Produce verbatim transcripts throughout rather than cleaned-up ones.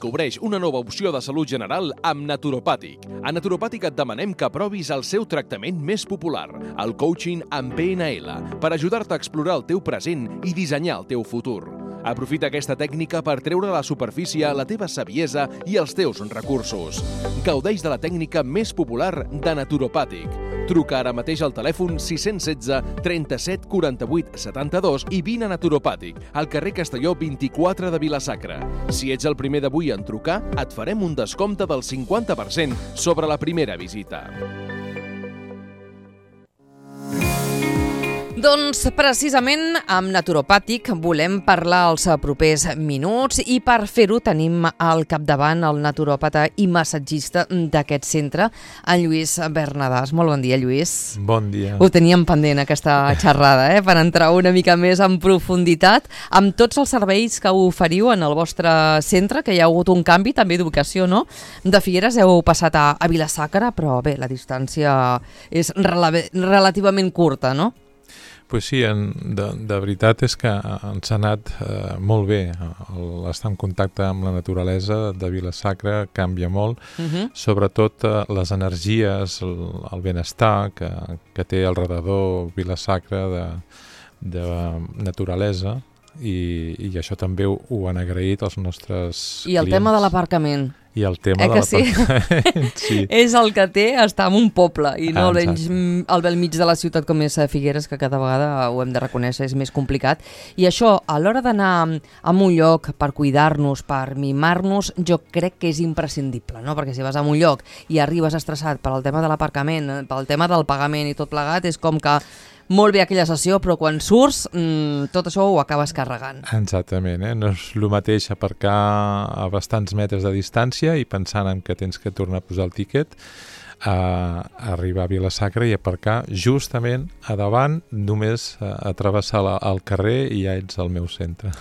Cobreix una nova opció de salut general amb Naturopàtic. A Naturopàtic et demanem que provis el seu tractament més popular, el coaching amb P N L, per ajudar-te a explorar el teu present i dissenyar el teu futur. Aprofita aquesta tècnica per treure a la superfície la teva saviesa i els teus recursos. Gaudeix de la tècnica més popular de Naturopàtic. Truca ara mateix al telèfon sis un sis, trenta-set, quaranta-vuit, setanta-dos i vine a Naturopàtic, al carrer Castelló vint-i-quatre de Vila-sacra. Si ets el primer d'avui en trucar, et farem un descompte del cinquanta per cent sobre la primera visita. Doncs precisament amb Naturopàtic volem parlar els propers minuts i per fer-ho tenim al capdavant el naturòpata i massatgista d'aquest centre, en Lluís Bernadàs. Molt bon dia, Lluís. Bon dia. Ho teníem pendent aquesta xerrada, eh? Per entrar una mica més en profunditat amb tots els serveis que oferiu en el vostre centre, que hi ha hagut un canvi també d'ubicació, no? De Figueres heu passat a, a Vila-sacra, però bé, la distància és rela- relativament curta, no? Pues sí, en, de, de veritat és que ens ha anat eh, molt bé. El, estar en contacte amb la naturalesa de Vila-sacra canvia molt, uh-huh. sobretot eh, les energies, el, el benestar que, que té al redador Vila-sacra de, de naturalesa i, i això també ho, ho han agraït els nostres I el clients. Tema de l'aparcament. I el tema eh de l'aparcament. Sí? sí. És el que té estar en un poble i no ah, almenys al bell mig de la ciutat com és Figueres, que cada vegada ho hem de reconèixer, és més complicat. I això, a l'hora d'anar a un lloc per cuidar-nos, per mimar-nos, jo crec que és imprescindible, no? Perquè si vas a un lloc i arribes estressat per al tema de l'aparcament, pel tema del pagament i tot plegat, és com que molt bé aquella sessió, però quan surts mmm, tot això ho acabes carregant. Exactament, eh? No és el mateix aparcar a bastants metres de distància i pensant en que tens que tornar a posar el tíquet, a arribar a Vila-sacra i aparcar justament a davant, només a, a travessar la, el carrer i ja ets al meu centre.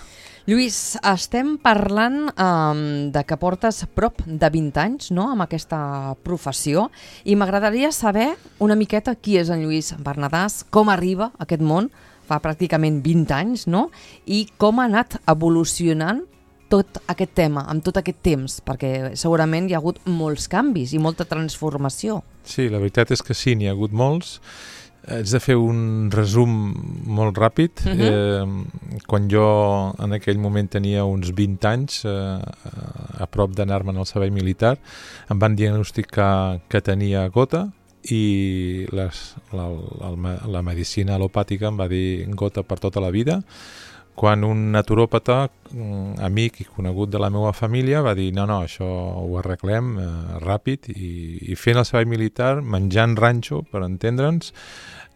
Lluís, estem parlant um, de que portes prop de vint anys, no?, amb aquesta professió, i m'agradaria saber una miqueta qui és en Lluís Bernadàs, com arriba a aquest món, fa pràcticament vint anys, no?, i com ha anat evolucionant tot aquest tema, amb tot aquest temps, perquè segurament hi ha hagut molts canvis i molta transformació. Sí, la veritat és que sí, n'hi ha hagut molts. Haig de fer un resum molt ràpid. Uh-huh. eh, quan jo en aquell moment tenia uns vint anys, eh, a prop d'anar-me'n al servei militar, em van diagnosticar que tenia gota i les, la, la, la medicina alopàtica em va dir gota per tota la vida, quan un naturòpata, amic i conegut de la meva família, va dir no, no, això ho arreglem eh, ràpid i, i fent el servei militar, menjant ranxo, per entendre'ns,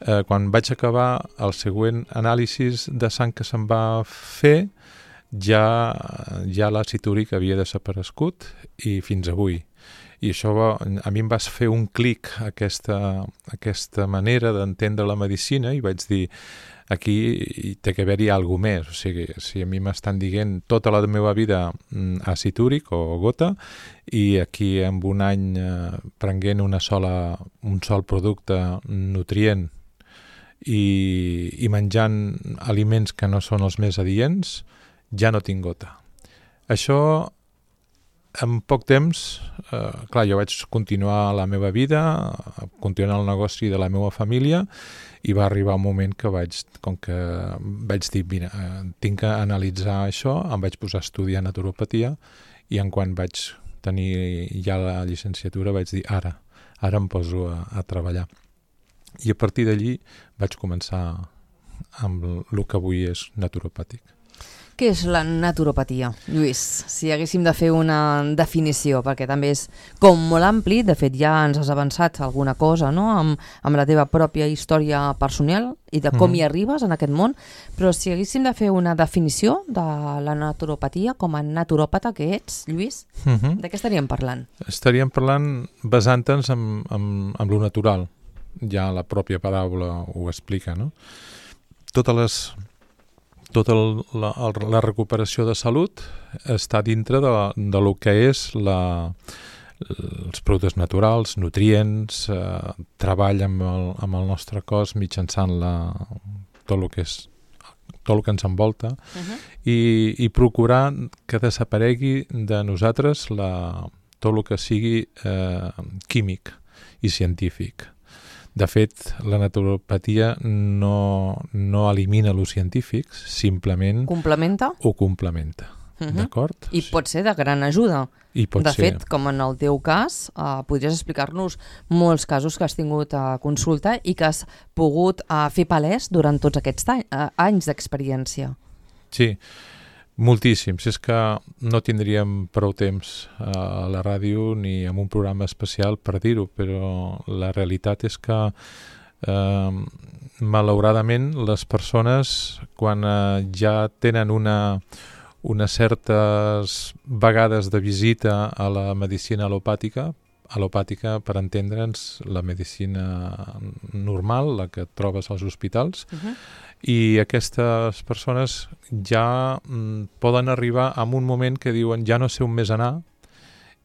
eh, quan vaig acabar el següent anàlisi de sang que se'm va fer, ja, ja l'àcid úric havia desaparegut i fins avui. I això va, a mi em va fer un clic aquesta, aquesta manera d'entendre la medicina i vaig dir aquí té que haver-hi alguna més, o sigui, si a mi m'estan dient tota la meva vida àcid úric o gota i aquí en un any eh, prenguent una sola, un sol producte nutrient i, i menjant aliments que no són els més adients, ja no tinc gota. Això en poc temps, eh, clar, jo vaig continuar la meva vida, continuar el negoci de la meva família i va arribar un moment que vaig, com que vaig dir, mira, eh, tinc que analitzar això, em vaig posar a estudiar naturopatia i en quan vaig tenir ja la llicenciatura vaig dir, ara, ara em poso a, a treballar. I a partir d'allí vaig començar amb el que avui és naturopàtic. Què és la naturopatia, Lluís? Si haguéssim de fer una definició, perquè també és com molt ampli, de fet ja ens has avançat alguna cosa, no?, amb, amb la teva pròpia història personal i de com mm. hi arribes en aquest món, però si haguéssim de fer una definició de la naturopatia com a naturòpata que ets, Lluís, mm-hmm. de què estaríem parlant? Estaríem parlant basant-nos en, en, en lo natural, ja la pròpia paraula ho explica, no? Totes les... Tota la, la recuperació de salut està dintre de, de lo que és la, els productes naturals, nutrients, eh, treball amb el, amb el nostre cos mitjançant la, tot el que és tot el que ens envolta, Uh-huh. i, i procurar que desaparegui de nosaltres la, tot el que sigui eh, químic i científic. De fet, la naturopatia no, no elimina els científics, simplement Complementa? ho complementa. Uh-huh. D'acord? I pot ser de gran ajuda. I pot de ser. fet, com en el teu cas, eh, podries explicar-nos molts casos que has tingut a consulta i que has pogut eh, fer palès durant tots aquests any, eh, anys d'experiència. Sí, moltíssims. És que no tindríem prou temps a la ràdio ni en un programa especial per dir-ho, però la realitat és que eh, malauradament les persones, quan eh, ja tenen una, unes certes vegades de visita a la medicina al·lopàtica, al·lopàtica, per entendre'ns, la medicina normal, la que et trobes als hospitals, Uh-huh. i aquestes persones ja mm, poden arribar a un moment que diuen ja no sé on més anar,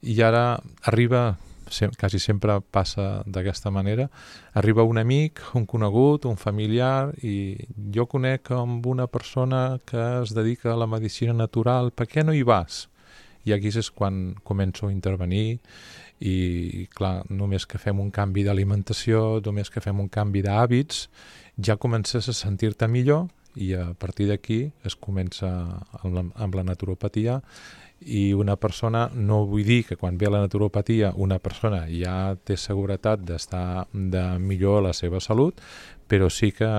i ara arriba, sem- quasi sempre passa d'aquesta manera, arriba un amic, un conegut, un familiar, i jo conec amb una persona que es dedica a la medicina natural, per què no hi vas? I aquí és quan començo a intervenir, i clar, només que fem un canvi d'alimentació, només que fem un canvi d'hàbits, ja comences a sentir-te millor, i a partir d'aquí es comença amb la, amb la naturopatia. I una persona, no vull dir que quan ve a la naturopatia una persona ja té seguretat d'estar de millor a la seva salut, però sí que,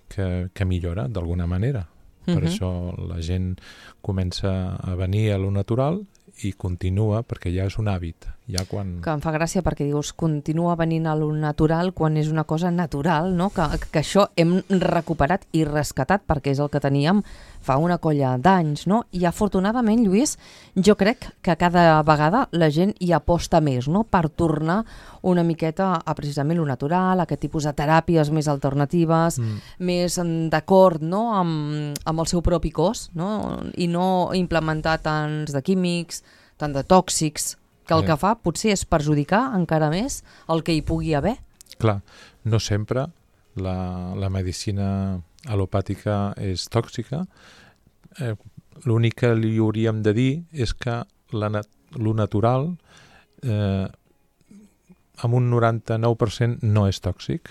que, que millora d'alguna manera. Per Uh-huh. això la gent comença a venir a lo natural i continua, perquè ja és un hàbit. Ja quan... Que em fa gràcia perquè dius continua venint a lo natural quan és una cosa natural, no? Que, que això hem recuperat i rescatat perquè és el que teníem fa una colla d'anys, no? I afortunadament, Lluís, jo crec que cada vegada la gent hi aposta més, no? Per tornar una miqueta a precisament lo natural, a aquest tipus de teràpies més alternatives, Mm. més d'acord, no? amb, amb el seu propi cos, no? I no implementar tants de químics, tant de tòxics, que el Sí. que fa potser és perjudicar encara més el que hi pugui haver. Clar, no sempre la, la medicina al·lopàtica és tòxica. Eh, L'únic que li hauríem de dir és que la nat lo natural eh, amb un noranta-nou per cent no és tòxic.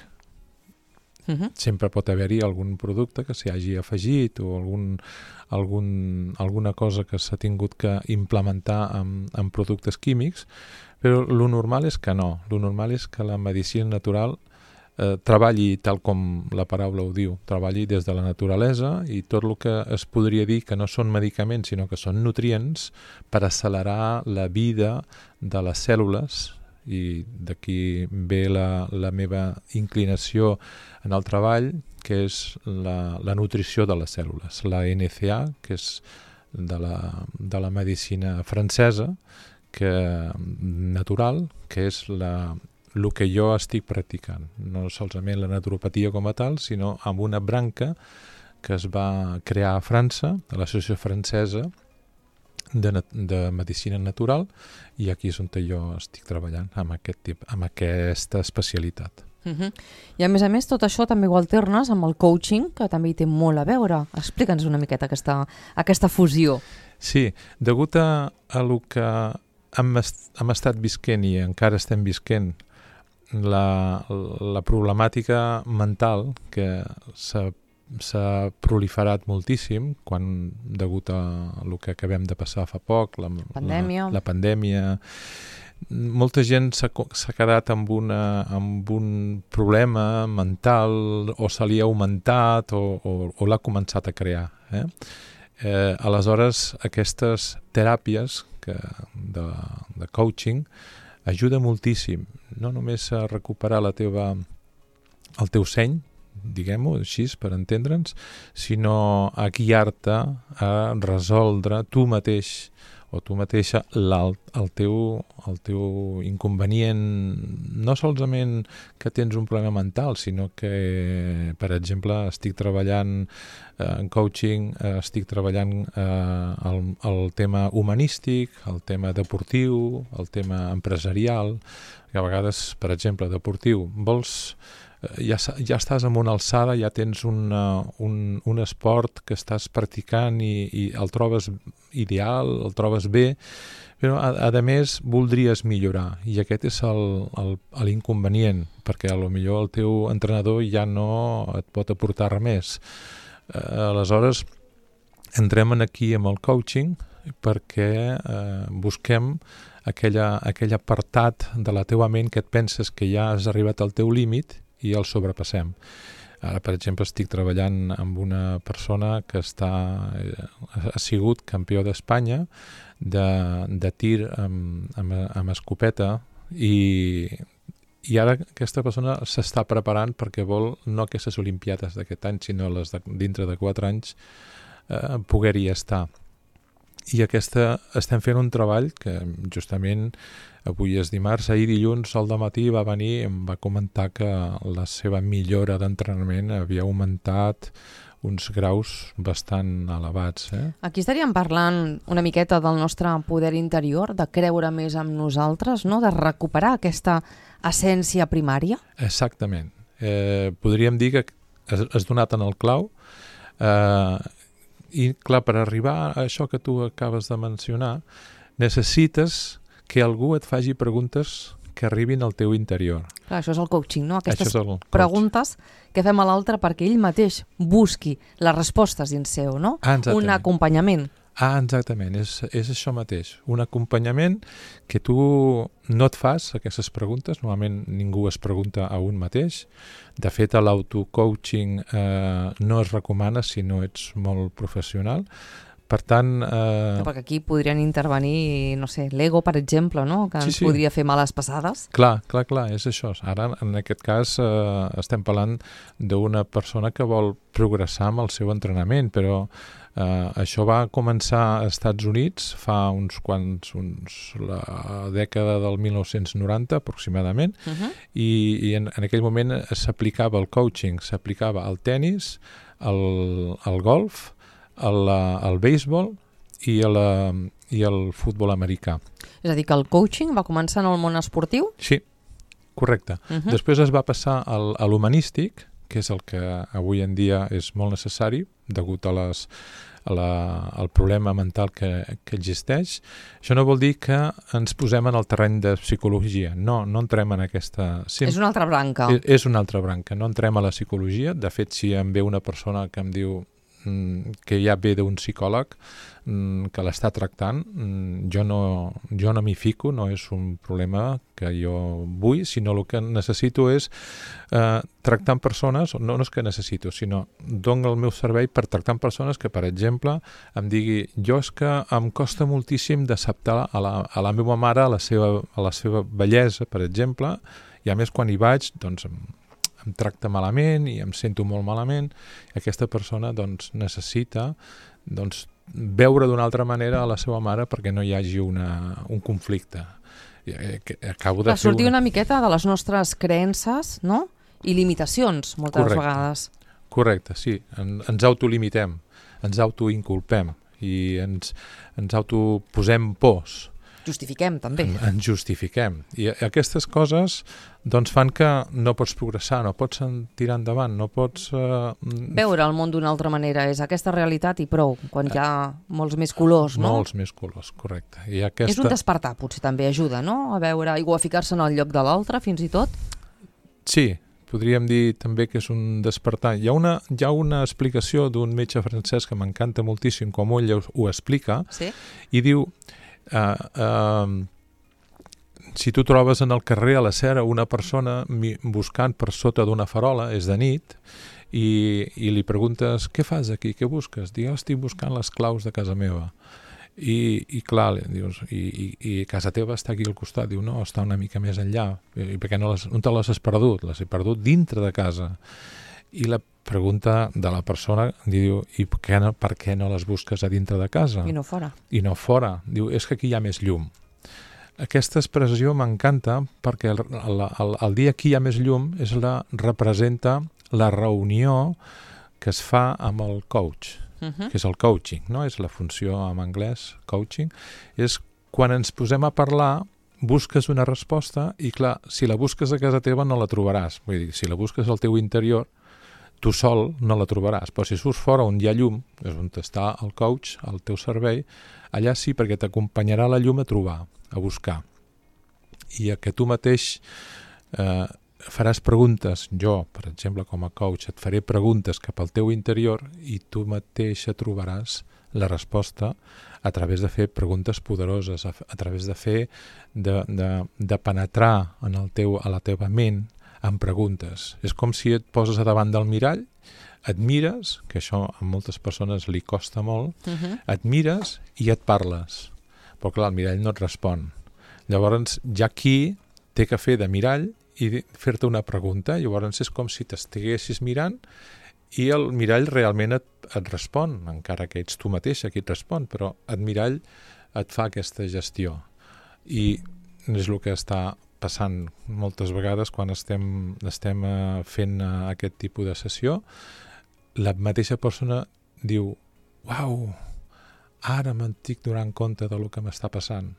Uh-huh. Sempre pot haver-hi algun producte que s'hi hagi afegit o algun, algun, alguna cosa que s'ha tingut que implementar amb, amb productes químics, però lo normal és que no. Lo normal és que la medicina natural eh, treballi tal com la paraula ho diu, treballi des de la naturalesa, i tot el que es podria dir que no són medicaments sinó que són nutrients per accelerar la vida de les cèl·lules, i d'aquí ve la, la meva inclinació en el treball, que és la, la nutrició de les cèl·lules, la N C A, que és de la, de la medicina francesa, que, natural, que és la, el que jo estic practicant. No solament la naturopatia com a tal, sinó amb una branca que es va crear a França, a l'Associació Francesa de, de Medicina Natural, i aquí és on jo estic treballant amb, aquest tip, amb aquesta especialitat. Uh-huh. I a més a més tot això també ho alternes amb el coaching, que també hi té molt a veure. Explica'ns una miqueta aquesta, aquesta fusió. Sí, degut a, a lo que hem, est hem estat visquent i encara estem visquent, la, la problemàtica mental que s'ha s'ha proliferat moltíssim quan, degut a el que acabem de passar fa poc, la Pandèmia. la, la pandèmia, molta gent s'ha quedat amb, una, amb un problema mental, o se li ha augmentat o, o, o l'ha començat a crear. Eh? Eh, aleshores, aquestes teràpies que, de, de coaching ajuda moltíssim, no només a recuperar la teva, el teu seny, diguem-ho així per entendre'ns, sinó a guiar-te a resoldre tu mateix o tu mateixa el, el, teu, el teu inconvenient, no solament que tens un problema mental, sinó que, per exemple, estic treballant eh, en coaching, eh, estic treballant eh, el, el tema humanístic, el tema deportiu, el tema empresarial. perquè a vegades, per exemple, deportiu, vols... Ja, ja estàs en una alçada, ja tens una, un, un esport que estàs practicant i, i el trobes ideal, el trobes bé, però a, a més voldries millorar i aquest és l'inconvenient, perquè a lo millor el teu entrenador ja no et pot aportar res més. Eh, aleshores, entrem aquí amb el coaching perquè eh, busquem aquella, aquell apartat de la teva ment que et penses que ja has arribat al teu límit i el sobrepassem. Ara, per exemple, estic treballant amb una persona que està, ha sigut campió d'Espanya de, de tir amb, amb, amb escopeta i, i ara aquesta persona s'està preparant perquè vol no aquestes olimpiades d'aquest any, sinó les de, dintre de quatre anys eh, poder-hi estar. I aquesta, estem fent un treball que justament avui és dimarts, ahir dilluns al dematí va venir i em va comentar que la seva millora d'entrenament havia augmentat uns graus bastant elevats. Eh? Aquí estaríem parlant una miqueta del nostre poder interior, de creure més en nosaltres, no? De recuperar aquesta essència primària. Exactament. Eh, podríem dir que has, has donat en el clau. Eh, I clar, per arribar a això que tu acabes de mencionar, necessites que algú et faci preguntes que arribin al teu interior. Clar, això és el coaching, no? Aquestes coaching. Preguntes que fem a l'altre perquè ell mateix busqui les respostes dins seu, no? Ah, un acompanyament. Ah, exactament, és, és això mateix. Un acompanyament que tu no et fas aquestes preguntes, normalment ningú es pregunta a un mateix. De fet, l'autocoaching eh, no es recomana si no ets molt professional. Per tant... Eh... Perquè aquí podrien intervenir, no sé, l'ego, per exemple, no? Que ens sí, sí. podria fer males passades. Clar, clar, clar, és això. Ara, en aquest cas, eh, estem parlant d'una persona que vol progressar amb el seu entrenament, però eh, això va començar als Estats Units fa uns quants, uns, la dècada del mil nou-cents noranta, aproximadament, uh-huh. i, i en, en aquell moment s'aplicava el coaching, s'aplicava al tennis, al, al golf, El, el béisbol i el, i el futbol americà. És a dir, que el coaching va començar en el món esportiu? Sí, correcte. Uh-huh. Després es va passar al, a l'humanístic, que és el que avui en dia és molt necessari, degut a les, a la, al problema mental que, que existeix. Això no vol dir que ens posem en el terreny de psicologia. No, no entrem en aquesta... Sí, és una altra branca. És, és una altra branca. No entrem a la psicologia. De fet, si em ve una persona que em diu que ja ve d'un psicòleg que l'està tractant, jo no, jo no m'hi fico, no és un problema que jo vull, sinó el que necessito és eh, tractar amb persones, no, no és que necessito, sinó dono el meu servei per tractar amb persones que, per exemple, em digui, jo és que em costa moltíssim d'acceptar a, la, a la meva mare a la seva, a la seva bellesa, per exemple, i a més quan hi vaig, doncs em em tracta malament i em sento molt malament. Aquesta persona doncs, necessita doncs, veure d'una altra manera a la seva mare perquè no hi hagi una, un conflicte. Acabo de per sortir una... una miqueta de les nostres creences, no? I limitacions, moltes Correcte. vegades. Correcte, sí. En, ens autolimitem, ens autoinculpem i ens, ens autoposem pors. Justifiquem, també. En, ens justifiquem. I aquestes coses doncs, fan que no pots progressar, no pots tirar endavant, no pots... Uh... Veure el món d'una altra manera, és aquesta realitat i prou, quan hi ha molts més colors, no? Molts més colors, correcte. I aquesta... És un despertar, potser també ajuda, no? A veure, o a ficar-se en el lloc de l'altre, fins i tot? Sí, podríem dir també que és un despertar. Hi ha una, hi ha una explicació d'un metge francès que m'encanta moltíssim, com ell ho explica, sí? I diu... Uh, uh, si tu trobes en el carrer a la Cera una persona mi, buscant per sota d'una farola, és de nit, i, i li preguntes, què fas aquí, què busques? Diu, estic buscant les claus de casa meva. I, i clar, dius, i, i, i casa teva està aquí al costat. Diu, no, està una mica més enllà. I perquè no, les, no te les has perdut? Les he perdut dintre de casa. I la pregunta de la persona diu, i per què, no, per què no les busques a dintre de casa? I no fora. I no fora. Diu, és que aquí hi ha més llum. Aquesta expressió m'encanta perquè el, el, el, el dia que hi ha més llum és la, representa la reunió que es fa amb el coach, uh-huh. que és el coaching, no? És la funció en anglès, coaching. És quan ens posem a parlar busques una resposta i, clar, si la busques a casa teva no la trobaràs. Vull dir, si la busques al teu interior, tu sol no la trobaràs. Però si surts fora on hi ha llum, és on està el coach, al teu servei, allà sí, perquè t'acompanyarà la llum a trobar, a buscar. I a que tu mateix eh, faràs preguntes, jo, per exemple, com a coach, et faré preguntes cap al teu interior i tu mateixa trobaràs la resposta a través de fer preguntes poderoses, a, a través de fer, de, de, de penetrar en el teu, a la teva ment amb preguntes. És com si et poses a davant del mirall, et mires, que això a moltes persones li costa molt, uh-huh. et mires i et parles. Però clar, el mirall no et respon. Llavors, ja aquí té que fer de mirall i fer-te una pregunta. Llavors és com si t'estiguessis mirant i el mirall realment et, et respon, encara que ets tu mateixa qui et respon, però el mirall et fa aquesta gestió. I és el que està passant moltes vegades quan estem, estem uh, fent uh, aquest tipus de sessió. La mateixa persona diu, uau, ara m'estic donant compte del que m'està passant.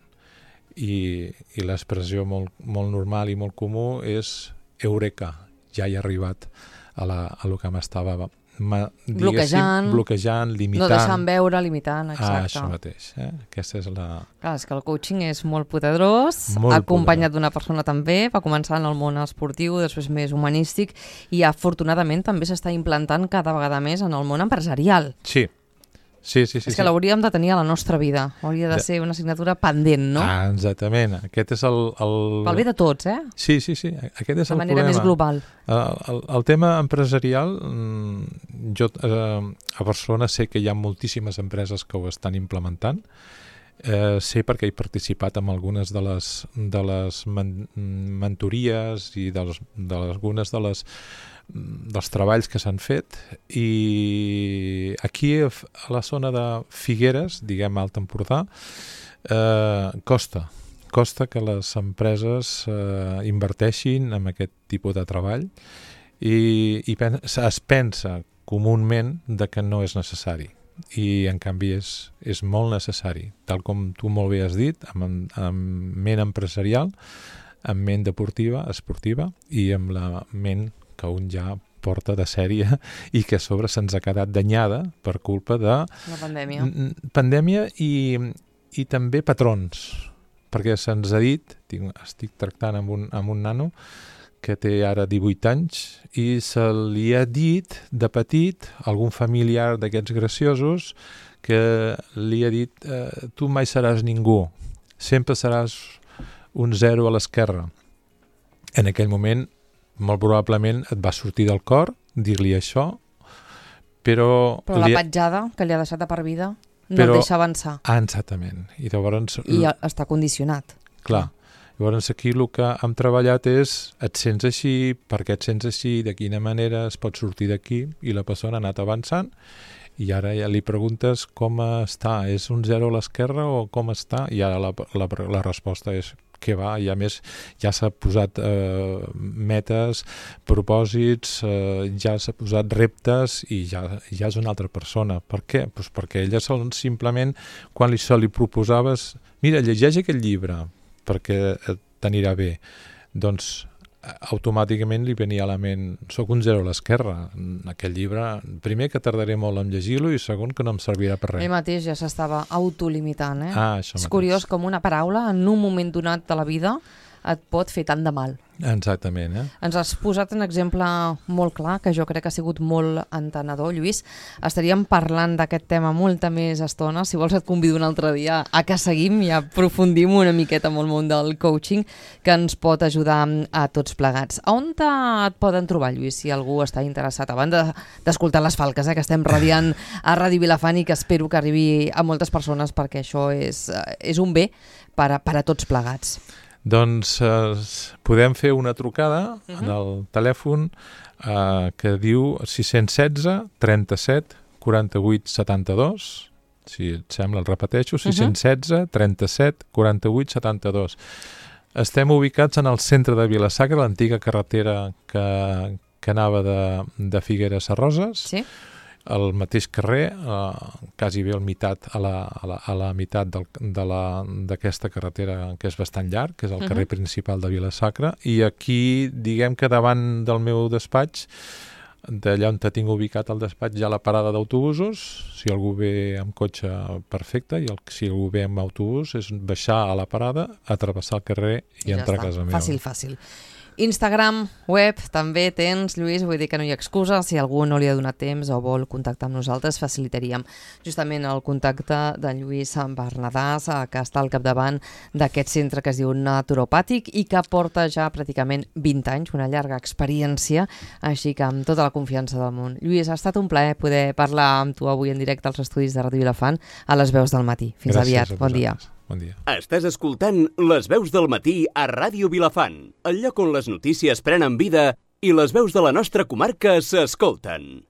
I, i l'expressió molt, molt normal i molt comú és eureka, ja he arribat a, la, a lo que m'estava ma, bloquejant, bloquejant, limitant. No deixant veure, limitant, exacte. Ah, això mateix. Eh? Aquesta és la... Clar, és que el coaching és molt poderós, molt acompanyat poderós. D'una persona també, va començar en el món esportiu, després més humanístic, i afortunadament també s'està implantant cada vegada més en el món empresarial. Sí. Sí, sí, sí, és que sí. l'hauríem de tenir a la nostra vida. Hauria de, de ser una assignatura pendent, no? Ah, exactament. Aquest és el... el... Pel bé de tots, eh? Sí, sí, sí. Aquest és de el manera problema. més global. El, el, el tema empresarial, jo eh, a Barcelona sé que hi ha moltíssimes empreses que ho estan implementant. Eh, sé perquè he participat en algunes de les, de les men mentories i de, les, de les, algunes de les dels treballs que s'han fet, i aquí a la zona de Figueres, diguem Alt Empordà, eh, costa costa que les empreses eh, inverteixin en aquest tipus de treball i, i pen es pensa comúment de que no és necessari, i en canvi és, és molt necessari, tal com tu molt bé has dit, amb, amb ment empresarial, amb ment deportiva, esportiva, i amb la ment que un ja porta de sèrie i que a sobre se'ns ha quedat danyada per culpa de... La pandèmia. Pandèmia i, i també patrons, perquè se'ns ha dit, tinc, estic tractant amb un, amb un nano que té ara divuit anys i se li ha dit de petit algun familiar d'aquests graciosos que li ha dit eh, tu mai seràs ningú, sempre seràs un zero a l'esquerra. En aquell moment molt probablement et va sortir del cor dir-li això, però... Però la li... petjada que li ha deixat de per vida no però... el deixa avançar. Ah, exactament. I llavors... I està condicionat. Clar. Llavors aquí el que hem treballat és et sents així, per què et sents així, de quina manera es pot sortir d'aquí, i la persona ha anat avançant, i ara ja li preguntes com està, és un zero a l'esquerra o com està? I ara la, la, la resposta és que va, i a més ja s'ha posat eh, metes, propòsits, eh, ja s'ha posat reptes i ja, ja és una altra persona. Per què? Pues perquè ella són simplement, quan li, se li proposaves, mira, llegeix aquest llibre perquè t'anirà bé, doncs automàticament li venia a la ment, soc un zero a l'esquerra, aquest llibre, primer que tardaré molt en llegir-lo i segon que no em servirà per res. Ell mateix ja s'estava autolimitant, eh? Ah, això és mateix. curiós com una paraula en un moment donat de la vida et pot fer tant de mal. Exactament, eh? Ens has posat un exemple molt clar, que jo crec que ha sigut molt entenedor, Lluís. Estaríem parlant d'aquest tema molta més estona. Si vols et convido un altre dia a que seguim i aprofundim una miqueta amb el món del coaching, que ens pot ajudar a tots plegats. A on et poden trobar, Lluís, si algú està interessat? A banda d'escoltar les falques, eh, que estem radiant a Ràdio Vilafant i que espero que arribi a moltes persones, perquè això és, és un bé per a, per a tots plegats. Doncs eh, podem fer una trucada uh-huh. en el telèfon eh, que diu sis un sis, trenta-set, quaranta-vuit, setanta-dos. Si et sembla, el repeteixo, sis un sis, trenta-set, quaranta-vuit, setanta-dos. Estem ubicats en el centre de Vila-sacra, l'antiga carretera que, que anava de, de Figueres a Roses. Sí. al mateix carrer, eh, quasi bé al meitat, a la, a la, a la meitat del, de la, d'aquesta carretera que és bastant llarg, que és el carrer uh-huh. principal de Vila-sacra, i aquí, diguem que davant del meu despatx, d'allà on tinc ubicat el despatx, hi ha la parada d'autobusos. Si algú ve amb cotxe, perfecte, i el, si algú ve amb autobús és baixar a la parada, atravessar el carrer i, I ja entrar està. a casa meva. Fàcil, fàcil. Instagram, web, també tens, Lluís, vull dir que no hi ha excusa. Si algú no li ha donat temps o vol contactar amb nosaltres, facilitaríem justament el contacte de Lluís Bernadàs, que està al capdavant d'aquest centre que es diu Naturopàtic i que porta ja pràcticament vint anys, una llarga experiència, així que amb tota la confiança del món. Lluís, ha estat un plaer poder parlar amb tu avui en directe als estudis de Ràdio Vilafant a les veus del matí. Fins Gràcies aviat, bon dia. Bon dia. Estàs escoltant Les veus del matí a Ràdio Vilafant, el lloc on les notícies prenen vida i les veus de la nostra comarca s'escolten.